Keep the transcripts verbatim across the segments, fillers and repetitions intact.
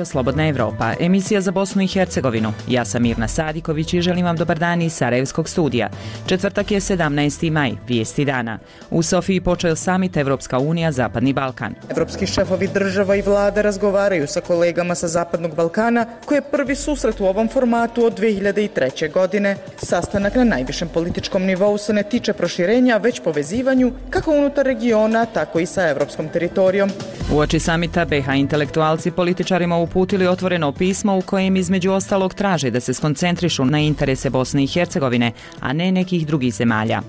Slobodna Evropa, emisija za Bosnu i Hercegovinu. Ja sam Mirna Sadiković i želim vam dobar dan iz Sarajevskog studija. Četvrtak je sedamnaesti maj, vijesti dana. U Sofiji počeo samit Evropska unija Zapadni Balkan. Evropski šefovi država i vlada razgovaraju sa kolegama sa Zapadnog Balkana, koji je prvi susret u ovom formatu od dve hiljade treće. godine. Sastanak na najvišem političkom nivou se ne tiče proširenja, već povezivanju kako unutar regiona, tako i sa evropskom teritorijom. Uoči samita be ha intelektualci političarima uputili otvoreno pismo u kojem između ostalog traže da se skoncentrišu na interese Bosne i Hercegovine, a ne nekih drugih zemalja.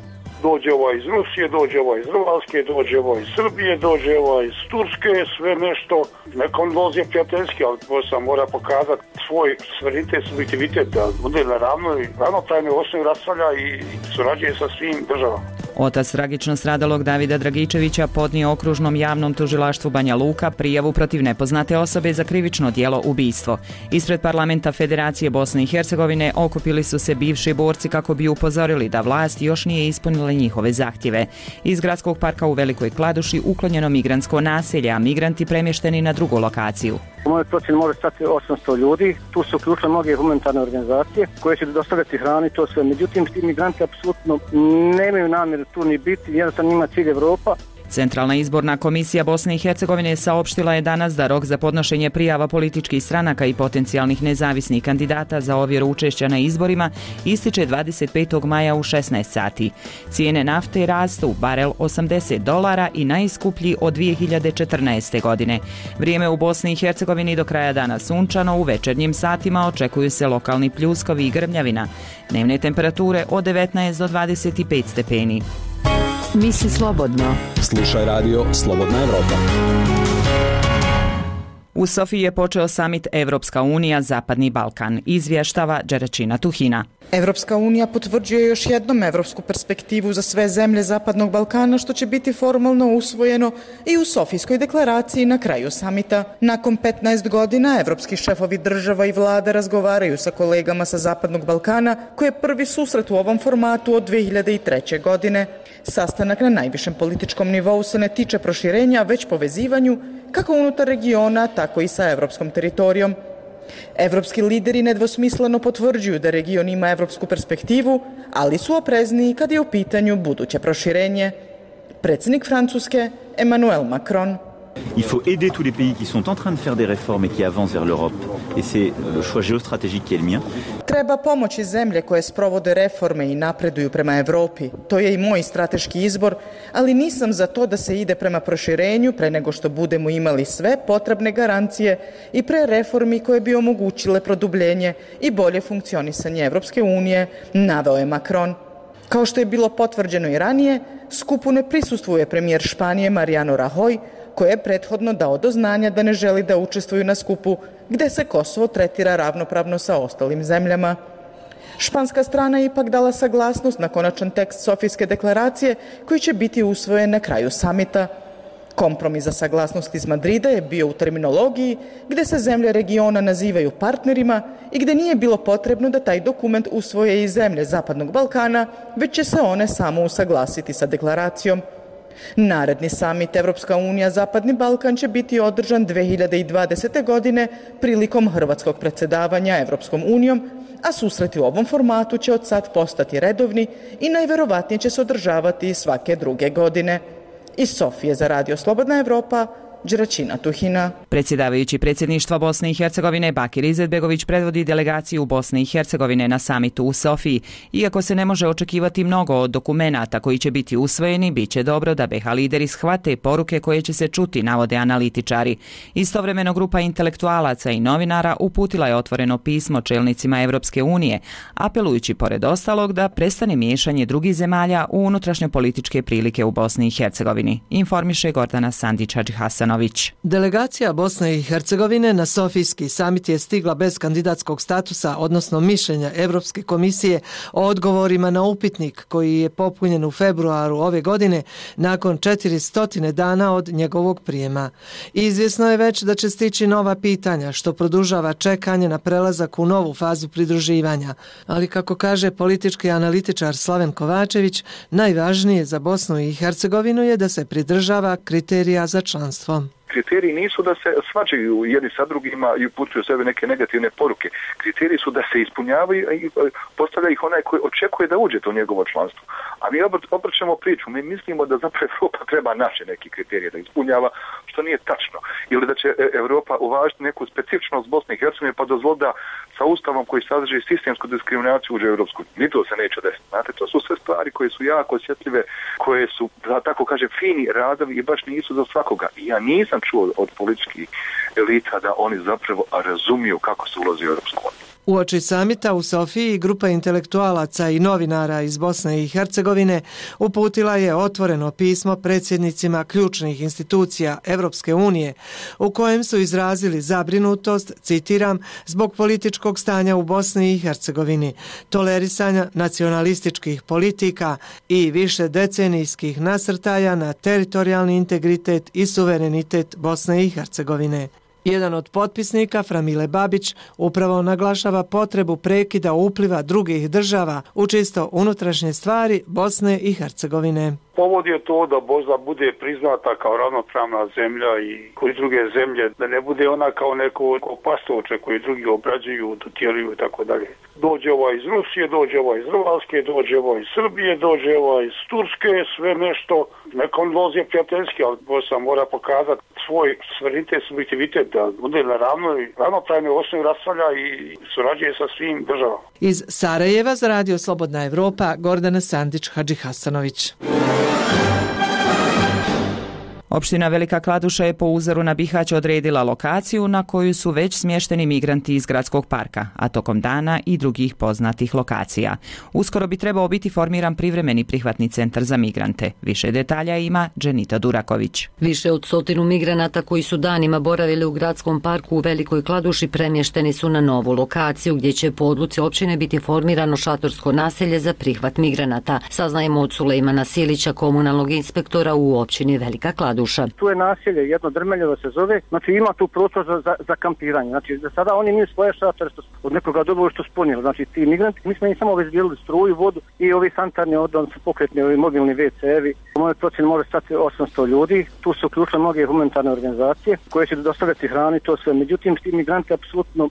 Dođe ovo iz Rusije, dođe ovo iz Hrvatske, dođe ovo iz Srbije, dođe ovo iz Turske, sve nešto. Nekom dođe prijateljski, ali sam mora pokazati svoj suverenitet, subjektivitet, da bude na ravnoj, ravnopravnoj osnovi raspravlja i surađuje sa svim državama. Otac tragično stradalog Davida Dragičevića podnio okružnom javnom tužilaštvu Banja Luka prijavu protiv nepoznate osobe za krivično djelo ubistvo. Ispred parlamenta Federacije Bosne i Hercegovine okupili su se bivši borci kako bi upozorili da vlast još nije ispunila njihove zahtjeve. Iz gradskog parka u Velikoj Kladuši uklonjeno migrantsko naselje, a migranti premješteni na drugu lokaciju. U mojoj procjeni može stati osamsto ljudi, tu su uključile mnoge humanitarne organizacije koje će dostavljati hranu i to sve. Međutim, ti migranti apsolutno nemaju namjeru tu ni biti, jednostavno njima cilj Evropa. Centralna izborna komisija Bosne i Hercegovine saopštila je danas da rok za podnošenje prijava političkih stranaka i potencijalnih nezavisnih kandidata za ovjeru učešća na izborima ističe dvadeset petog maja u šesnaest sati. Cijene nafte rastu, barel osamdeset dolara i najskuplji od dvije hiljade četrnaeste. godine. Vrijeme u Bosni i Hercegovini do kraja dana sunčano, u večernjim satima očekuju se lokalni pljuskovi i grmljavina. Dnevne temperature od devetnaest do dvadeset pet stepeni. Misli slobodno. Slušaj radio Slobodna Evropa. U Sofiji je počeo samit Evropska unija Zapadni Balkan, izvještava Đeračina Tuhina. Evropska unija potvrđuje još jednom evropsku perspektivu za sve zemlje Zapadnog Balkana, što će biti formalno usvojeno i u Sofijskoj deklaraciji na kraju samita. Nakon petnaest godina evropski šefovi država i vlada razgovaraju sa kolegama sa Zapadnog Balkana, koji je prvi susret u ovom formatu od dve hiljade treće. godine. Sastanak na najvišem političkom nivou se ne tiče proširenja, već povezivanju kako unutar regiona, tako i sa evropskom teritorijom. Evropski lideri nedvosmisleno potvrđuju da region ima evropsku perspektivu, ali su oprezniji kad je u pitanju buduće proširenje. Predsjednik Francuske Emmanuel Macron. Il faut aider tous les pays qui sont en train de faire des réformes et qui avancent vers l'Europe. Et c'est le choix géostratégique qui est le mien. Treba pomoći zemlje koje sprovode reforme i napreduju prema Evropi. To je i moj strateški izbor, ali nisam za to da se ide prema proširenju pre nego što budemo imali sve potrebne garancije i pre reformi koje bi omogućile produbljenje i bolje funkcionisanje Evropske unije, naveo je Macron. Kao što je bilo potvrđeno i ranije, skupu ne prisustvuje premijer Španije Mariano Rajoy, koji je prethodno dao do znanja da ne želi da učestvuju na skupu gde se Kosovo tretira ravnopravno sa ostalim zemljama. Španska strana je ipak dala saglasnost na konačan tekst Sofijske deklaracije koji će biti usvojen na kraju samita. Kompromis za saglasnost iz Madrida je bio u terminologiji gde se zemlje regiona nazivaju partnerima i gde nije bilo potrebno da taj dokument usvoje i zemlje Zapadnog Balkana, već će se one samo usaglasiti sa deklaracijom. Naredni samit Evropska unija Zapadni Balkan će biti održan dve hiljade dvadesete. godine prilikom hrvatskog predsjedavanja Evropskom unijom, a susreti u ovom formatu će od sad postati redovni i najverovatnije će se održavati svake druge godine. Iz Sofije za radio Slobodna Evropa, Đeračina Tuhina. Predsjedavajući predsjedništva Bosne i Hercegovine Bakir Izetbegović predvodi delegaciju Bosne i Hercegovine na samitu u Sofiji. Iako se ne može očekivati mnogo od dokumenata koji će biti usvojeni, bit će dobro da be ha lideri shvate poruke koje će se čuti, navode analitičari. Istovremeno grupa intelektualaca i novinara uputila je otvoreno pismo čelnicima Evropske unije, apelujući pored ostalog da prestane miješanje drugih zemalja u unutrašnje političke prilike u Bosni i Hercegovini, informiše Gordana Sandić-Hadžihasanović. Delegacija Bosne i Hercegovine na Sofijski samit je stigla bez kandidatskog statusa, odnosno mišljenja Evropske komisije o odgovorima na upitnik koji je popunjen u februaru ove godine nakon četiristo dana od njegovog prijema. Izvjesno je već da će stići nova pitanja, što produžava čekanje na prelazak u novu fazu pridruživanja. Ali kako kaže politički analitičar Slaven Kovačević, najvažnije za Bosnu i Hercegovinu je da se pridržava kriterija za članstvo. Kriteriji nisu da se svađaju jedni sa drugima i upućuju sebe neke negativne poruke. Kriteriji su da se ispunjavaju i postavlja ih onaj koji očekuje da uđete u njegovo članstvo. A mi obrćemo priču, mi mislimo da zapravo Europa treba naše neki kriterije da ispunjava, što nije tačno. Ili da će Europa uvažiti neku specifičnost Bosne i Hercegovine pa dozvoliti da sa ustavom koji sadrži sistemsku diskriminaciju uđe u Europsku. Ni to se neće desiti. Znate, to su sve stvari koje su jako osjetljive, koje su, da tako kažem, fini radovi i baš nisu za svakoga. I ja nisam čuo od političkih elita da oni zapravo razumiju kako se ulazi u Europsku uniju. Uoči samita u Sofiji grupa intelektualaca i novinara iz Bosne i Hercegovine uputila je otvoreno pismo predsjednicima ključnih institucija Europske unije u kojem su izrazili zabrinutost, citiram, zbog političkog stanja u Bosni i Hercegovini, tolerisanja nacionalističkih politika i više decenijskih nasrtaja na teritorijalni integritet i suverenitet Bosne i Hercegovine. Jedan od potpisnika, Framile Babić, upravo naglašava potrebu prekida upliva drugih država u čisto unutrašnje stvari Bosne i Hercegovine. Povod je to da Bosna bude priznata kao ravnopravna zemlja i koji druge zemlje, da ne bude ona kao neko pastoče koji drugi obrađuju, dotjeruju i tako dalje. Dođe ovaj iz Rusije, dođe ovaj iz Hrvatske, dođe ovaj iz Srbije, dođe ovaj iz Turske, sve nešto. Neko on vozi prijateljski, ali Bosna mora pokazati svoj suverenitet, subjektivitet, da bude na ravnoj, ravnopravnoj osnovi raspravlja i surađuje sa svim državama. Iz Sarajeva za Radio Slobodna Evropa, Gordana Sandić Hadžihasanović. Opština Velika Kladuša je po uzoru na Bihać odredila lokaciju na koju su već smješteni migranti iz gradskog parka, a tokom dana i drugih poznatih lokacija. Uskoro bi trebao biti formiran privremeni prihvatni centar za migrante. Više detalja ima Dženita Duraković. Više od stotinu migranata koji su danima boravili u gradskom parku u Velikoj Kladuši premješteni su na novu lokaciju gdje će po odluci općine biti formirano šatorsko naselje za prihvat migranata. Saznajemo od Sulejmana Silića, komunalnog inspektora u općini Velika Kladuša. Tu je naselje, jedno Drmeljevo se zove, znači ima tu prostor za, za, za kampiranje. Znači za sada oni imaju svoje šatore što od nekoga dobili što spunili. Znači ti migranti, mi smo im samo obezbijedili struju, vodu i ovi sanitarni odnos, pokretni ovi mobilni ve ce-evi. U mojoj procjeni može stati osamsto ljudi. Tu su uključene mnoge humanitarne organizacije koje će dostavljati hranu i to sve. Međutim, ti migranti apsolutno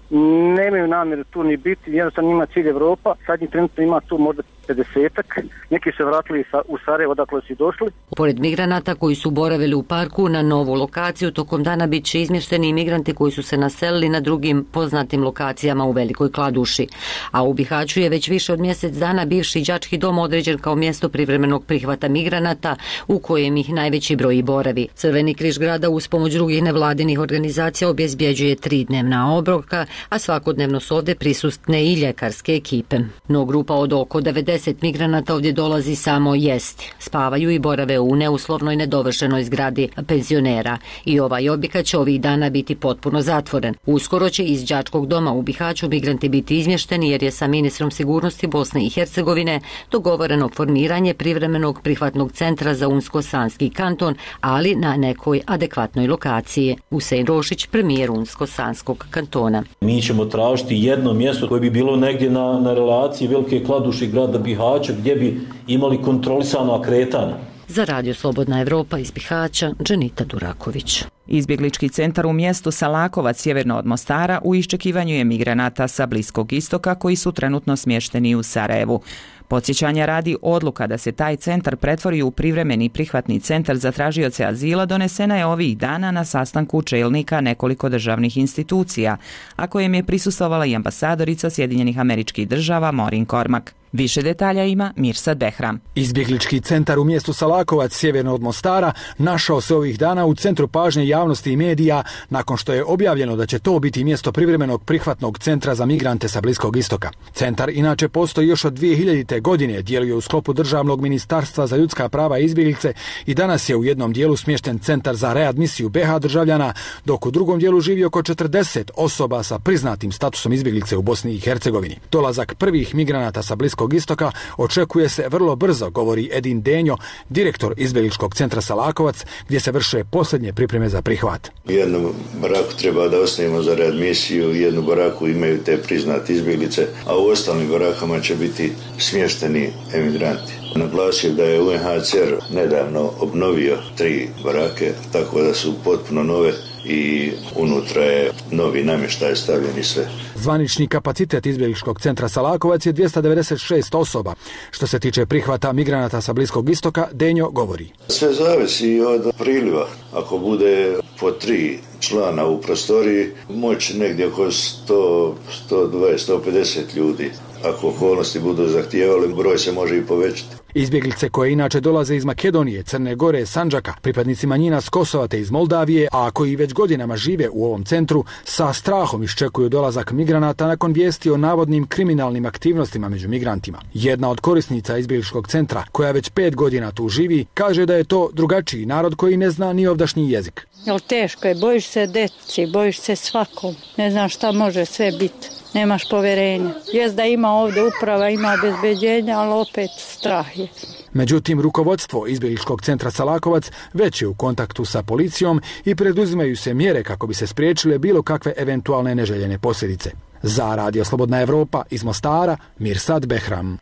nemaju namjeru tu ni biti, jednostavno ima cilj Evropa. Sadnji trenutno ima tu možda pedesetak. Neki se vratili u Sarajevo odakle su došli. Pored migranata koji su boravili u parku na novu lokaciju, tokom dana bit će izmješteni imigranti koji su se naselili na drugim poznatim lokacijama u Velikoj Kladuši. A u Bihaću je već više od mjesec dana bivši đački dom određen kao mjesto privremenog prihvata migranata u kojem ih najveći broj boravi. Crveni križ grada uz pomoć drugih nevladinih organizacija obezbjeđuje tri dnevna obroka, a svakodnevno su ovdje prisutne i ljekarske ekipe. No grupa od oko devedeset migranata ovdje dolazi samo jesti. Spavaju i borave u neuslovnoj nedovršenoj zgradi penzionera i ovaj objekat će ovih dana biti potpuno zatvoren. Uskoro će iz đačkog doma u Bihaću migranti biti izmješteni jer je sa ministrom sigurnosti Bosne i Hercegovine dogovoreno formiranje privremenog prihvatnog centra za Unsko-Sanski kanton, ali na nekoj adekvatnoj lokaciji. Usein Rošić, premijer Unsko-Sanskog kantona. Mi ćemo tražiti jedno mjesto koje bi bilo negdje na, na relaciji Velike Kladuše i grada Bihaća gdje bi imali kontrolisano kretanje. Za Radio Slobodna Evropa iz Bihaća, Dženita Duraković. Izbjeglički centar u mjestu Salakovac sjeverno od Mostara u iščekivanju je migranata sa Bliskog istoka koji su trenutno smješteni u Sarajevu. Podsjećanja radi, odluka da se taj centar pretvori u privremeni prihvatni centar za tražioce azila donesena je ovih dana na sastanku čelnika nekoliko državnih institucija, a kojem je prisustvovala i ambasadorica Sjedinjenih Američkih Država Maureen Cormack. Više detalja ima Mirsad Behram. Izbjeglički centar u mjestu Salakovac sjeverno od Mostara našao se ovih dana u centru pažnje javnosti i medija nakon što je objavljeno da će to biti mjesto privremenog prihvatnog centra za migrante sa Bliskog istoka. Centar inače postoji još od dvije hiljadite. godine, djeluje u sklopu Državnog ministarstva za ljudska prava i izbjeglice i danas je u jednom dijelu smješten centar za readmisiju be ha državljana, dok u drugom dijelu živi oko četrdeset osoba sa priznatim statusom izbjeglice u Bosni i Hercegovini. Dolazak prvih migranata sa Bliskog istoka očekuje se vrlo brzo, govori Edin Denjo, direktor izbjegličkog centra Salakovac, gdje se vrše posljednje pripreme za prihvat. Jednu baraku treba da osnijemo za readmisiju, jednu baraku imaju te priznate izbjeglice, a u ostalim barakama će biti smješten smješteni emigranti. Naglasio da je U N H C R nedavno obnovio tri barake, tako da su potpuno nove i unutra je novi namještaj stavljeni sve. Zvanični kapacitet izbjegličkog centra Salakovac je dvjesto devedeset šest osoba. Što se tiče prihvata migranata sa Bliskog istoka, Denjo govori. Sve zavisi od priliva. Ako bude po tri člana u prostoriji, moći negdje oko sto, sto dvadeset, sto pedeset ljudi. Ako okolnosti budu zahtijevali, broj se može i povećati. Izbjeglice koje inače dolaze iz Makedonije, Crne Gore, Sandžaka, pripadnici manjina s Kosova te iz Moldavije, a koji već godinama žive u ovom centru, sa strahom iščekuju dolazak migranata nakon vijesti o navodnim kriminalnim aktivnostima među migrantima. Jedna od korisnica izbjegličkog centra, koja već pet godina tu živi, kaže da je to drugačiji narod koji ne zna ni ovdašnji jezik. Jel teško je, bojiš se deci, bojiš se svakom, ne znam šta može sve biti. Nemaš poverenja. Jest da ima ovdje uprava, ima obezbeđenja, ali opet strah je. Međutim, rukovodstvo izbjegličkog centra Salakovac već je u kontaktu sa policijom i preduzimaju se mjere kako bi se spriječile bilo kakve eventualne neželjene posljedice. Za Radio Slobodna Evropa iz Mostara, Mirsad Behram.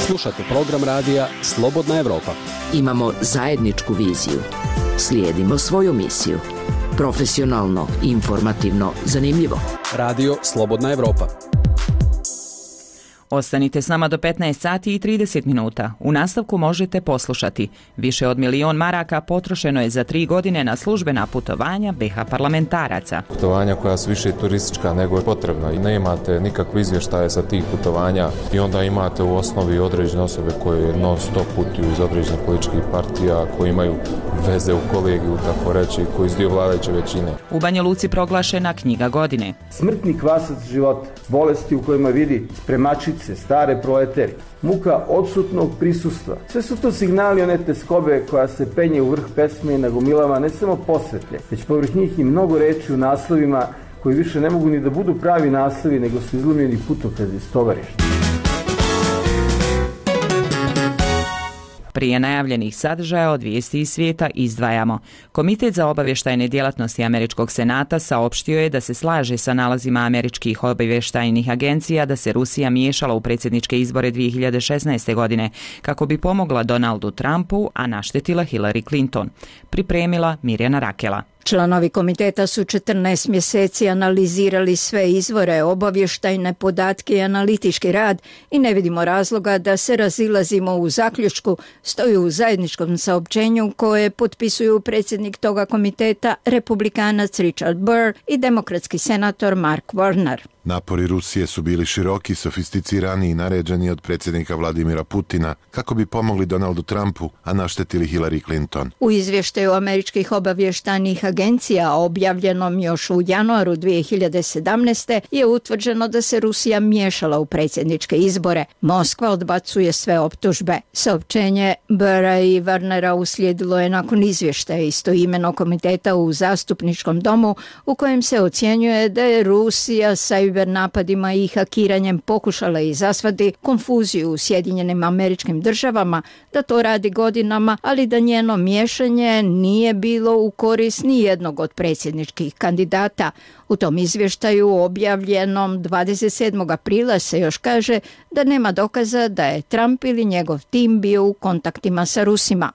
Slušate program radija Slobodna Evropa. Imamo zajedničku viziju. Slijedimo svoju misiju. Profesionalno, informativno, zanimljivo. Radio Slobodna Evropa. Ostanite s nama do petnaest sati i trideset minuta. U nastavku možete poslušati. Više od milion maraka potrošeno je za tri godine na službena putovanja B iH parlamentaraca. Putovanja koja su više turistička nego je potrebna i ne imate nikakve izvještaje sa tih putovanja i onda imate u osnovi određene osobe koje non stop putuju iz određenih političkih partija, koji imaju veze u kolegiju, tako reći, koji su dio vladajuće većine. U Banja Luci proglašena knjiga godine. Smrtni kvasac života, bolesti u kojima vidi spremačice, stare proleteri, muka odsutnog prisustva. Sve su to signali one teskobe koja se penje u vrh pesme i nagomilava ne samo posvetlje, već povrh njih i mnogo reči u naslovima koji više ne mogu ni da budu pravi naslovi, nego su izlomljeni putokazi iz tovarišta. Prije najavljenih sadržaja od vijesti iz svijeta izdvajamo. Komitet za obavještajne djelatnosti Američkog senata saopštio je da se slaže sa nalazima američkih obavještajnih agencija da se Rusija miješala u predsjedničke izbore dvije hiljade šesnaeste. godine kako bi pomogla Donaldu Trumpu, a naštetila Hillary Clinton. Pripremila Mirjana Rakela. Članovi komiteta su četrnaest mjeseci analizirali sve izvore, obavještajne podatke i analitički rad i ne vidimo razloga da se razilazimo u zaključku, stoji u zajedničkom saopćenju koje potpisuju predsjednik toga komiteta, republikanac Richard Burr i demokratski senator Mark Warner. Napori Rusije su bili široki, sofisticirani i naređeni od predsjednika Vladimira Putina kako bi pomogli Donaldu Trumpu, a naštetili Hillary Clinton. U izvještaju američkih obavještajnih agencija objavljenom još u januaru dvije hiljade sedamnaeste. je utvrđeno da se Rusija miješala u predsjedničke izbore. Moskva odbacuje sve optužbe. Saopćenje Burra i Warnera uslijedilo je nakon izvještaja istoimenog komiteta u zastupničkom domu u kojem se ocjenjuje da je Rusija sa napadima i hakiranjem pokušala izazvati konfuziju u Sjedinjenim Američkim Državama, da to radi godinama, ali da njeno miješanje nije bilo u korist ni jednog od predsjedničkih kandidata. U tom izvještaju objavljenom dvadeset sedmog aprila se još kaže da nema dokaza da je Trump ili njegov tim bio u kontaktima sa Rusima.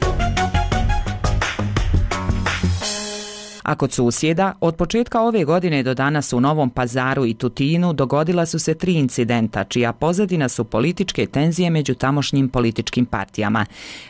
A kod susjeda, od početka ove godine do danas u Novom Pazaru i Tutinu dogodila su se tri incidenta, čija pozadina su političke tenzije među tamošnjim političkim partijama.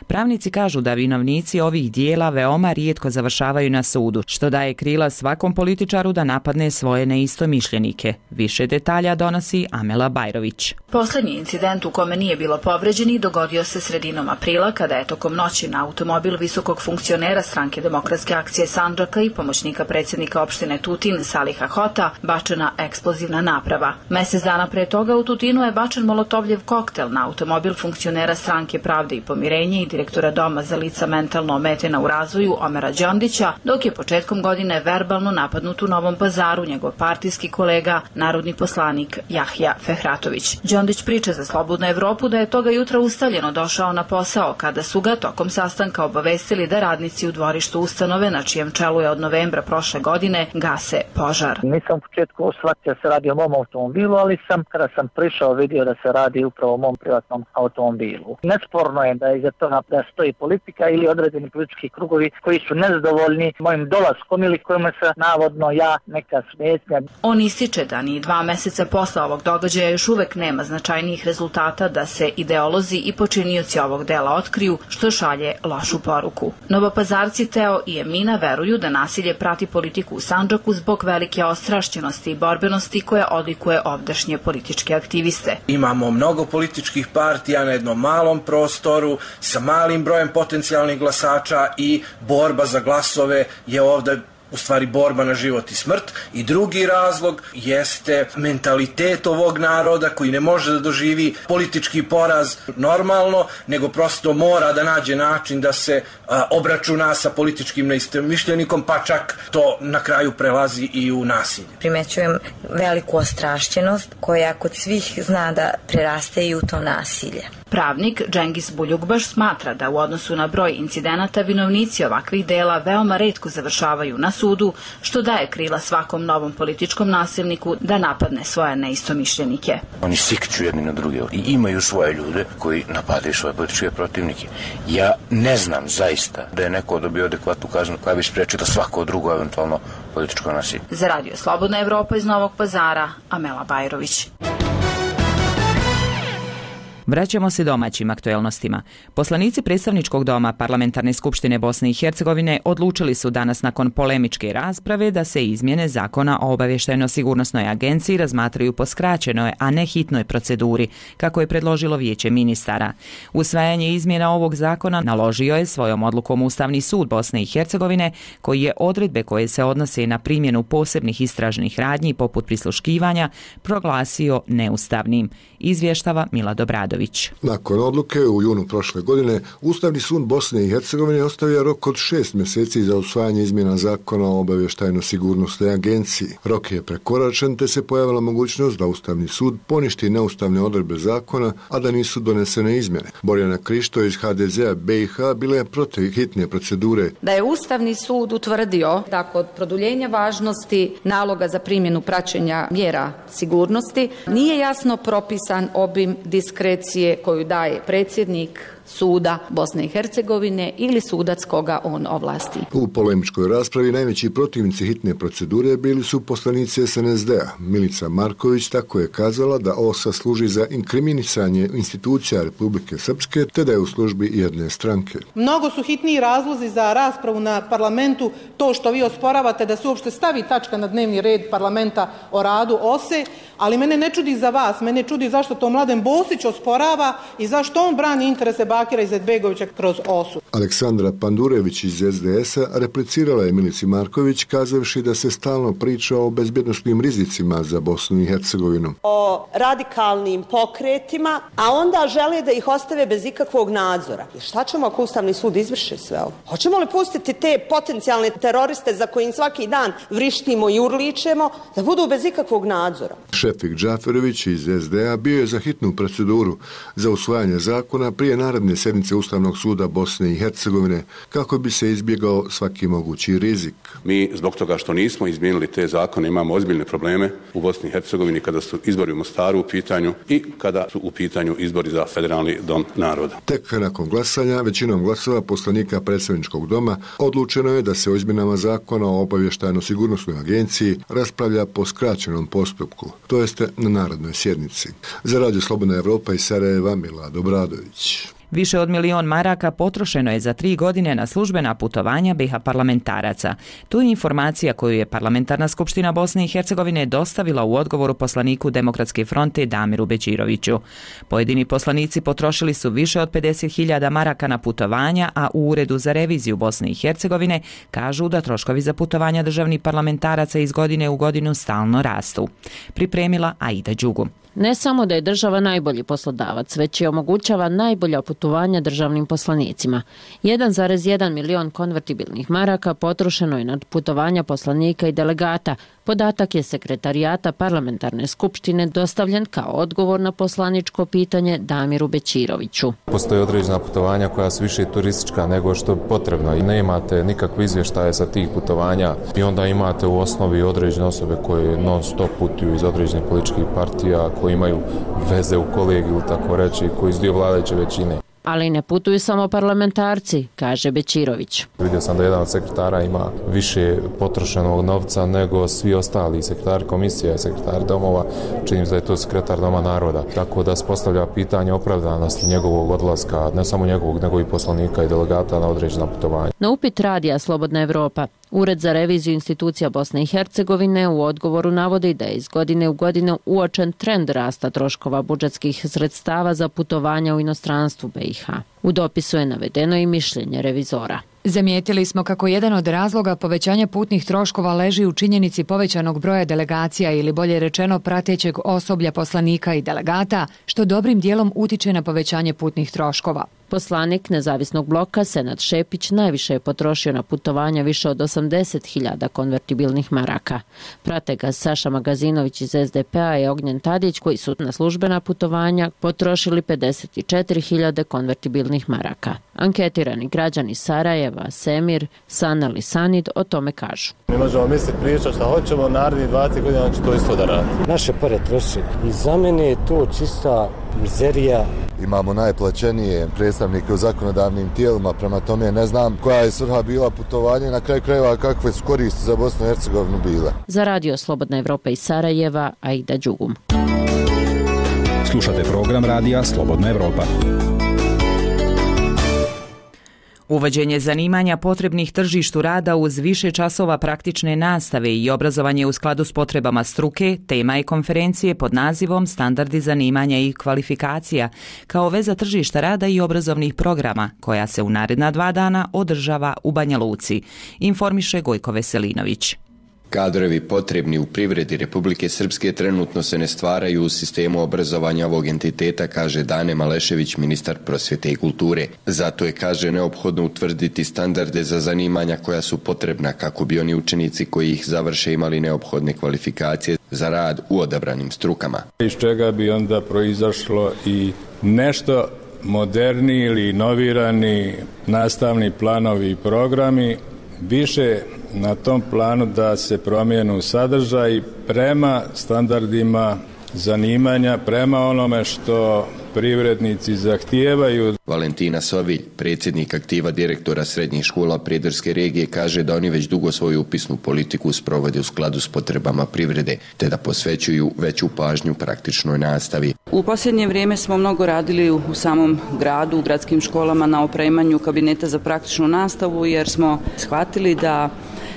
Pravnici kažu da vinovnici ovih dijela veoma rijetko završavaju na sudu, što daje krila svakom političaru da napadne svoje neistomišljenike. Više detalja donosi Amela Bajrović. Posljednji incident u kome nije bilo povređenih dogodio se sredinom aprila, kada je tokom noći na automobil visokog funkcionera Stranke demokratske akcije Sandžaka i pomoćnika predsjednika opštine Tutin Saliha Hota bačena eksplozivna naprava. Mjesec dana pre toga u Tutinu je bačen molotovljev koktel na automobil funkcionera Stranke pravde i pomirenje i direktora Doma za lica mentalno ometena u razvoju Omera Đondića, dok je početkom godine verbalno napadnut u Novom Pazaru njegov partijski kolega, narodni poslanik Jahja Fehratović. Đondić priča za Slobodnu Evropu da je toga jutra ustaljeno došao na posao kada su ga tokom sastanka obavestili da radnici u dvorištu ustanove na čijem čelu je od novembra prošle godine gase požar. Nisam u početku shvatio da se radi o mom automobilu, ali sam kada sam prišao vidio da se radi upravo o mom privatnom automobilu. Nesporno je da iza toga da stoji politika ili određeni politički krugovi koji su nezadovoljni mojim dolaskom ili kojima se navodno ja neka smetnja. On ističe da ni dva meseca posle ovog događaja još uvek nema značajnijih rezultata da se ideolozi i počinioci ovog dela otkriju, što šalje lošu poruku. Novopazarci Teo i Emina veruju da nasilje prati politiku u Sandžaku zbog velike ostrašćenosti i borbenosti koja odlikuje ovdašnje političke aktiviste. Imamo mnogo političkih partija na jednom malom prostoru sa malim brojem potencijalnih glasača i borba za glasove je ovdje u stvari borba na život i smrt. I drugi razlog jeste mentalitet ovog naroda koji ne može da doživi politički poraz normalno, nego prosto mora da nađe način da se a, obračuna sa političkim neistomišljenikom, pa čak to na kraju prelazi i u nasilje. Primećujem veliku ostrašćenost koja kod svih zna da preraste i u to nasilje. Pravnik Džengis Buljugbaš smatra da u odnosu na broj incidenata vinovnici ovakvih dela veoma retko završavaju na sudu, što daje krila svakom novom političkom nasilniku da napadne svoje neistomišljenike. Oni sikću jedni na druge i imaju svoje ljude koji napadaju svoje političke protivnike. Ja ne znam zaista da je neko dobio adekvatnu kaznu koja bi spriječila svako drugo eventualno političko nasilje. Za Radio Slobodna Evropa iz Novog Pazara, Amela Bajrović. Vraćamo se domaćim aktuelnostima. Poslanici predstavničkog doma Parlamentarne skupštine Bosne i Hercegovine odlučili su danas nakon polemičke rasprave da se izmjene zakona o obavještajno-sigurnosnoj agenciji razmatraju po skraćenoj, a ne hitnoj proceduri, kako je predložilo Vijeće ministara. Usvajanje izmjena ovog zakona naložio je svojom odlukom Ustavni sud Bosne i Hercegovine, koji je odredbe koje se odnose na primjenu posebnih istražnih radnji poput prisluškivanja proglasio neustavnim, izvještava Milad Obradović. Nakon odluke u junu prošle godine, Ustavni sud Bosne i Hercegovine ostavio rok od šest mjeseci za usvajanje izmjena zakona o obavještajno-sigurnosnoj agenciji. Rok je prekoračen, te se pojavila mogućnost da Ustavni sud poništi neustavne odredbe zakona, a da nisu donesene izmjene. Borjana Krišto iz ha de zea be i ha bila je protiv hitne procedure. Da je Ustavni sud utvrdio da kod produljenja važnosti naloga za primjenu praćenja mjera sigurnosti nije jasno propisan obim diskrecije koju daje predsjednik suda Bosne i Hercegovine ili sudac koga on ovlasti. U polemičkoj raspravi najveći protivnici hitne procedure bili su poslanici es en es de a. Milica Marković tako je kazala da O S A služi za inkriminisanje institucija Republike Srpske, te da je u službi jedne stranke. Mnogo su hitniji razlozi za raspravu na parlamentu to što vi osporavate da se uopšte stavi tačka na dnevni red parlamenta o radu O S E, ali mene ne čudi za vas, mene čudi zašto to Mladen Bosić osporava i zašto on brani interese Bakira Izetbegovića kroz O S U. Aleksandra Pandurević iz es de es a replicirala je Milici Marković kazavši da se stalno priča o bezbjednosnim rizicima za Bosnu i Hercegovinu. O radikalnim pokretima, a onda žele da ih ostave bez ikakvog nadzora. I šta ćemo ako Ustavni sud izvrši sve ovo? Hoćemo li pustiti te potencijalne teroriste za kojim svaki dan vrištimo i urličemo da budu bez ikakvog nadzora? Šefik Džaferović iz es de a bio je za hitnu proceduru za usvajanje zakona prije naredne sjednice Ustavnog suda Bosne i Hercegovine kako bi se izbjegao svaki mogući rizik. Mi zbog toga što nismo izmijenili te zakone imamo ozbiljne probleme u Bosni i Hercegovini kada su izbori u Mostaru u pitanju i kada su u pitanju izbori za Federalni dom naroda. Tek nakon glasanja većinom glasova poslanika predstavničkog doma odlučeno je da se o izmjenama zakona o obavještajno-sigurnosnoj agenciji raspravlja po skraćenom postupku, to jeste na narodnoj sjednici. Za Radio Slobodna Evropa iz Sarajeva, Milad Obradović. Više od milion maraka potrošeno je za tri godine na službena putovanja be i ha parlamentaraca. Tu je informacija koju je Parlamentarna skupština Bosne i Hercegovine dostavila u odgovoru poslaniku Demokratske fronte Damiru Beđiroviću. Pojedini poslanici potrošili su više od pedeset hiljada maraka na putovanja, a u Uredu za reviziju Bosne i Hercegovine kažu da troškovi za putovanja državnih parlamentaraca iz godine u godinu stalno rastu. Pripremila Aida Đugu. Ne samo da je država najbolji poslodavac, već i omogućava najbolja putovanja državnim poslanicima. jedan zarez jedan milion konvertibilnih maraka potrošeno je na putovanja poslanika i delegata, Podatak je sekretarijata parlamentarne skupštine dostavljen kao odgovor na poslaničko pitanje Damiru Bećiroviću. Postoje određena putovanja koja su više turistička nego što je potrebno i ne imate nikakve izvještaje sa tih putovanja i onda imate u osnovi određene osobe koje non stop putuju iz određenih političkih partija, koji imaju veze u kolegiju, tako reći, koji su dio vladajuće većine. Ali ne putuju samo parlamentarci, kaže Bećirović. Vidio sam da jedan od sekretara ima više potrošenog novca nego svi ostali sekretari komisije, sekretari domova, činim se da je to sekretar Doma naroda. Tako da se postavlja pitanje opravdanosti njegovog odlaska, ne samo njegovog, nego i poslanika i delegata na određena putovanja. Na upit radija Slobodna Evropa, Ured za reviziju institucija Bosne i Hercegovine u odgovoru navodi da je iz godine u godinu uočen trend rasta troškova budžetskih sredstava za putovanja u inostranstvu B i H. U dopisu je navedeno i mišljenje revizora. Zamijetili smo kako jedan od razloga povećanja putnih troškova leži u činjenici povećanog broja delegacija ili bolje rečeno pratećeg osoblja poslanika i delegata, što dobrim dijelom utiče na povećanje putnih troškova. Poslanik Nezavisnog bloka Senad Šepić najviše je potrošio na putovanja, više od osamdeset hiljada konvertibilnih maraka. Prate ga Saša Magazinović iz S D P-a i Ognjen Tadić, koji su na službena putovanja potrošili pedeset četiri hiljade konvertibilnih maraka. Anketirani građani Sarajeva, Semir, Sanal i Sanid o tome kažu. Mi možemo misliti pričati šta hoćemo, narednih dvadeset godina će to isto da radi. Naše pare troši i za mene je to čista mizerija. Imamo najplaćenije predstavnike u zakonodavnim tijelima, prema tome ne znam koja je svrha bila putovanja i na kraju krajeva kakve su koristi za Bosnu i Hercegovinu bile. Za radio Slobodna Evropa iz Sarajeva, Aida Đugum. Slušate program radija Slobodna Evropa. Uvođenje zanimanja potrebnih tržištu rada uz više časova praktične nastave i obrazovanje u skladu s potrebama struke, tema je konferencije pod nazivom Standardi zanimanja i kvalifikacija, kao veza tržišta rada i obrazovnih programa, koja se u naredna dva dana održava u Banja Luci, informiše Gojko Veselinović. Kadrovi potrebni u privredi Republike Srpske trenutno se ne stvaraju u sistemu obrazovanja ovog entiteta, kaže Dane Malešević, ministar prosvjete i kulture. Zato je, kaže, neophodno utvrditi standarde za zanimanja koja su potrebna kako bi oni učenici koji ih završe imali neophodne kvalifikacije za rad u odabranim strukama. Iz čega bi onda proizašlo i nešto moderni ili inovirani nastavni planovi i programi, više na tom planu da se promijenu sadržaj prema standardima zanimanja, prema onome što privrednici zahtijevaju. Valentina Sovilj, predsjednik aktiva direktora srednjih škola Prijedorske regije, kaže da oni već dugo svoju upisnu politiku sprovode u skladu s potrebama privrede, te da posvećuju veću pažnju praktičnoj nastavi. U posljednje vrijeme smo mnogo radili u samom gradu, u gradskim školama na opremanju kabineta za praktičnu nastavu, jer smo shvatili da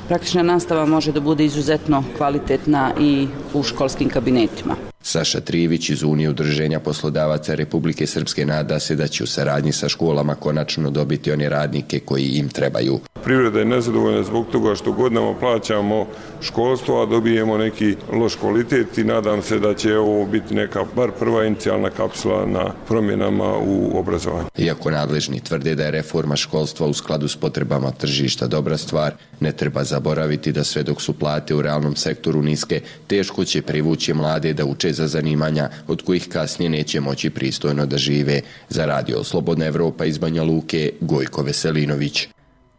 praktična nastava može da bude izuzetno kvalitetna i u školskim kabinetima. Saša Trivić iz Unije udruženja poslodavaca Republike Srpske nada se da će u saradnji sa školama konačno dobiti one radnike koji im trebaju. Privreda je nezadovoljna zbog toga što godinama plaćamo školstvo, a dobijemo neki loš kvalitet i nadam se da će ovo biti neka bar prva inicijalna kapsula na promjenama u obrazovanju. Iako nadležni tvrde da je reforma školstva u skladu s potrebama tržišta dobra stvar, ne treba zaboraviti da sve dok su plate u realnom sektoru niske, teško će privući mlade da uče za zanimanja od kojih kasnije neće moći pristojno da žive. Za radio Slobodna Evropa iz Banja Luke, Gojko Veselinović.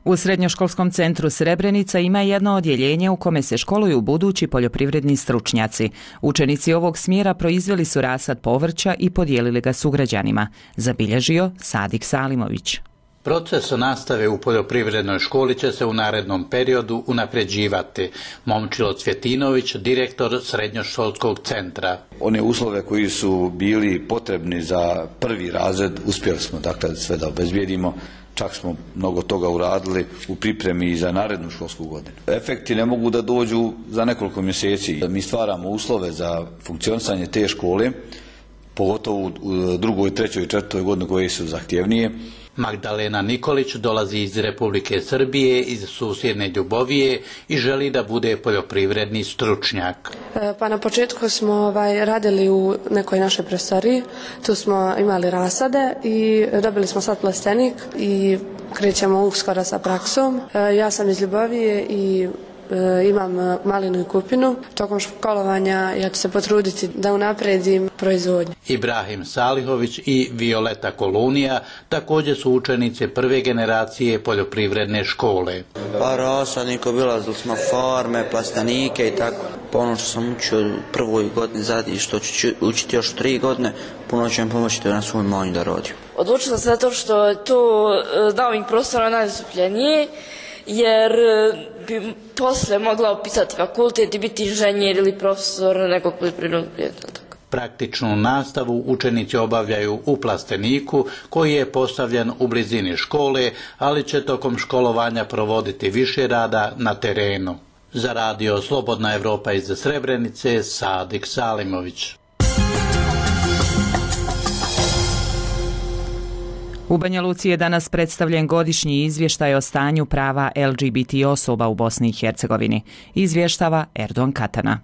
U Srednjoškolskom centru Srebrenica ima jedno odjeljenje u kome se školuju budući poljoprivredni stručnjaci. Učenici ovog smjera proizveli su rasad povrća i podijelili ga sugrađanima, zabilježio Sadik Salimović. Proces nastave u poljoprivrednoj školi će se u narednom periodu unapređivati. Momčilo Cvjetinović, direktor Srednjoškolskog centra. One uslove koji su bili potrebni za prvi razred uspjeli smo dakle sve da obezbijedimo. Čak smo mnogo toga uradili u pripremi i za narednu školsku godinu. Efekti ne mogu da dođu za nekoliko mjeseci. Mi stvaramo uslove za funkcionisanje te škole, pogotovo u drugoj, trećoj i četvrtoj godini koje su zahtjevnije. Magdalena Nikolić dolazi iz Republike Srbije, iz susjedne Ljubovije i želi da bude poljoprivredni stručnjak. Pa na početku smo ovaj, radili u nekoj našoj prostoriji, tu smo imali rasade i dobili smo sad plastenik i krećemo uskoro sa praksom. Ja sam iz Ljubovije i e, imam malinu i kupinu. Tokom školovanja ja ću se potruditi da unapredim proizvodnju. Ibrahim Salihović i Violeta Kolunija također su učenice prve generacije poljoprivredne škole. Pa rasadnik, obilazili smo farme, plastenike i tako. Pa ono što sam učio u prvoj godini zadnji, što ću učiti još tri godine, puno će mi pomoći da na svom imanju da radim. Odlučila sam zato što je to dao mi prostora najzastupljenije, jer bi posle mogla upisati fakultet i biti inženjer ili profesor nekog poljoprivrednog predmeta. Praktičnu nastavu učenici obavljaju u plasteniku koji je postavljen u blizini škole, ali će tokom školovanja provoditi više rada na terenu. Za radio Slobodna Evropa iz Srebrenice, Sadik Salimović. U Banja Luci je danas predstavljen godišnji izvještaj o stanju prava L G B T osoba u Bosni i Hercegovini. Izvještava Erdogan Katana.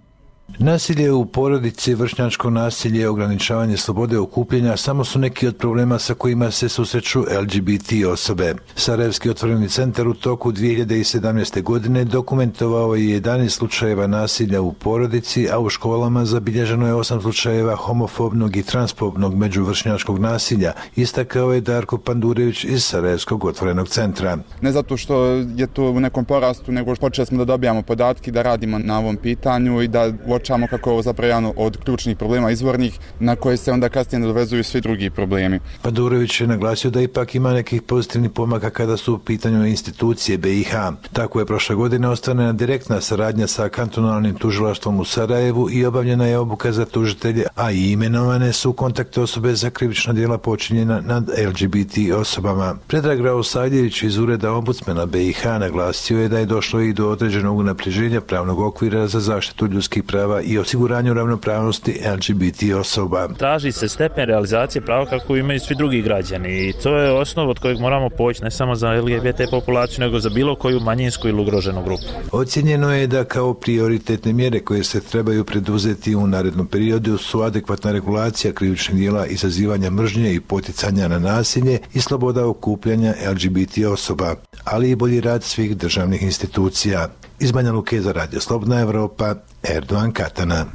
Nasilje u porodici, vršnjačko nasilje, ograničavanje slobode okupljanja samo su neki od problema sa kojima se susreću L G B T osobe. Sarajevski otvoreni centar u toku dvije hiljade sedamnaeste. godine dokumentovao je jedanaest slučajeva nasilja u porodici, a u školama zabilježeno je osam slučajeva homofobnog i transpobnog međuvršnjačkog nasilja, istakao je Darko Pandurević iz Sarajevskog otvorenog centra. Ne zato što je to u nekom porastu, nego počeli smo da dobijamo podatke, da radimo na ovom pitanju i da uočamo kako je ovo zapravo jedan od ključnih problema izvornih na koje se onda kasnije nadovezuju svi drugi problemi. Pandurević je naglasio da ipak ima nekih pozitivnih pomaka kada su u pitanju institucije B i H. Tako je prošle godine ostvarena direktna saradnja sa kantonalnim tužilaštvom u Sarajevu i obavljena je obuka za tužitelje, a i imenovane su kontakt osobe za krivična djela počinjena nad L G B T osobama. Predrag Raosavljević iz ureda ombudsmana B i H naglasio je da je došlo i do određenog unapređenja pravnog okvira za zaštitu ljudskih prava i osiguranju ravnopravnosti L G B T osoba. Traži se stepen realizacije prava kako imaju svi drugi građani i to je osnov od kojeg moramo poći ne samo za L G B T populaciju nego za bilo koju manjinsku ili ugroženu grupu. Ocjenjeno je da kao prioritetne mjere koje se trebaju preduzeti u narednom periodu su adekvatna regulacija krivičnih djela, izazivanja mržnje i poticanja na nasilje i sloboda okupljanja L G B T osoba, ali i bolji rad svih državnih institucija. Iz Banja Luke za radio Slobodna Evropa, Erdogan Katana.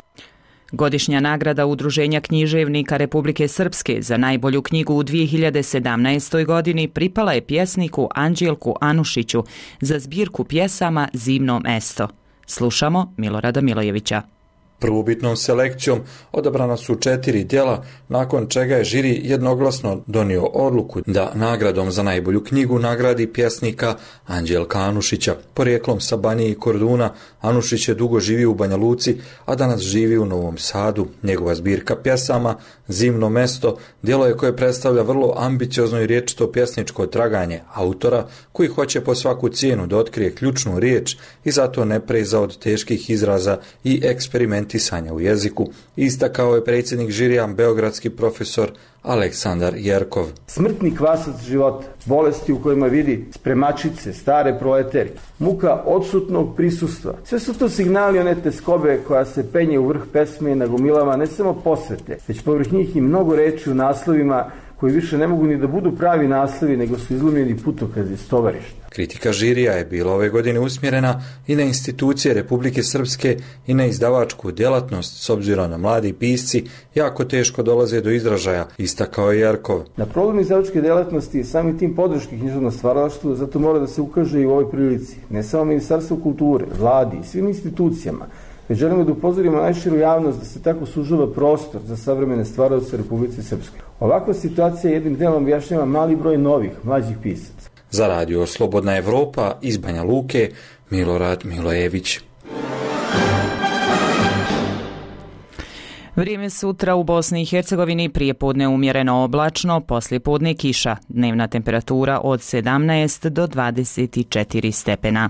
Godišnja nagrada Udruženja književnika Republike Srpske za najbolju knjigu u dvije hiljade sedamnaestoj. godini pripala je pjesniku Anđelku Anušiću za zbirku pjesama Zimno mesto. Slušamo Milorada Milojevića. Prvobitnom selekcijom odabrana su četiri djela, nakon čega je žiri jednoglasno donio odluku da nagradom za najbolju knjigu nagradi pjesnika Anđelka Anušića. Porijeklom sa Banije i Korduna, Anušić je dugo živio u Banja Luci, a danas živi u Novom Sadu. Njegova zbirka pjesama Zimno mesto djelo je koje predstavlja vrlo ambiciozno i riječito pjesničko traganje autora koji hoće po svaku cijenu da otkrije ključnu riječ i zato ne preza od teških izraza i eksperimentisanja u jeziku, istakao je predsjednik žirija, beogradski profesor Aleksandar Jerkov. Smrtni kvasac života, bolesti u kojima vidi spremačice, stare proleterke, muka odsutnog prisustva. Sve su to signali one teskobe koja se penje u vrh pesme i nagomilava ne samo posvete, već povrh njih i mnogo reči u naslovima koji više ne mogu ni da budu pravi naslovi, nego su izlomljeni putokazi s tovarišta. Kritika žirija je bila ove godine usmjerena i na institucije Republike Srpske i na izdavačku djelatnost, s obzirom na mladi pisci jako teško dolaze do izražaja, istakao je Jerkov. Na problem izdavačke djelatnosti i sami tim podrške književnom stvaralaštvu zato mora da se ukaže i u ovoj prilici. Ne samo Ministarstvo kulture, vladi i svim institucijama, već želimo da upozorimo najširu javnost da se tako sužava prostor za savremene stvaralaoce Republike Srpske. Ovakva situacija jednim delom objašnjava mali broj novih, mlađih pisaca. Za radio Slobodna Evropa iz Banja Luke, Milorad Milojević. Vrijeme sutra u Bosni i Hercegovini, prije podne umjereno oblačno, poslije podne kiša. Dnevna temperatura od sedamnaest do dvadeset četiri stepena.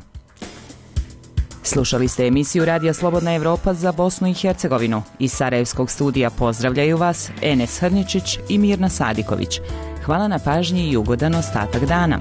Slušali ste emisiju Radija Slobodna Evropa za Bosnu i Hercegovinu. Iz Sarajevskog studija pozdravljaju vas Enes Hrničić i Mirna Sadiković. Hvala na pažnji i ugodan ostatak dana.